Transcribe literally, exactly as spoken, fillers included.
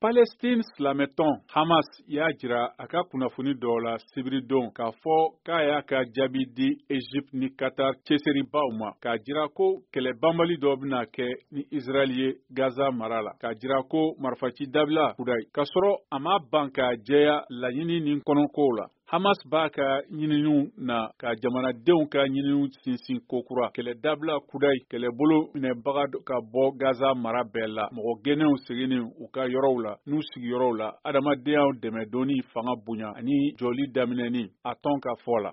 Palestine silamɛtɔn Hamas y'a jira a ka kunnafoni dɔw la sibiridon k'a fɔ k'a y'a ka jaabi di Egypte ni Qatar cɛsiribaw ma, k'a jira ko kɛlɛ banbali dɔ bɛna kɛ ni Israël ye Gaza mara la, k'a jira ko marifaci dabila kudayi, k'a sɔrɔ a ma ban k'a jɛya laɲini ni kɔnɔkow la. Hamas b'a ka ɲininiw na ka jamanadenw ka ɲininiw sinsin kokura, kɛlɛ dabila kudayi, kɛlɛbolo minɛbaga ka bɔ Gaza mara bɛɛ la, mɔgɔ gɛnnenw seginni u ka yɔrɔw la n'u sigiyɔrɔw la, adamadenyaw dɛmɛdonni fanga bonya ani jɔli daminɛni, a tɔn ka fɔ la.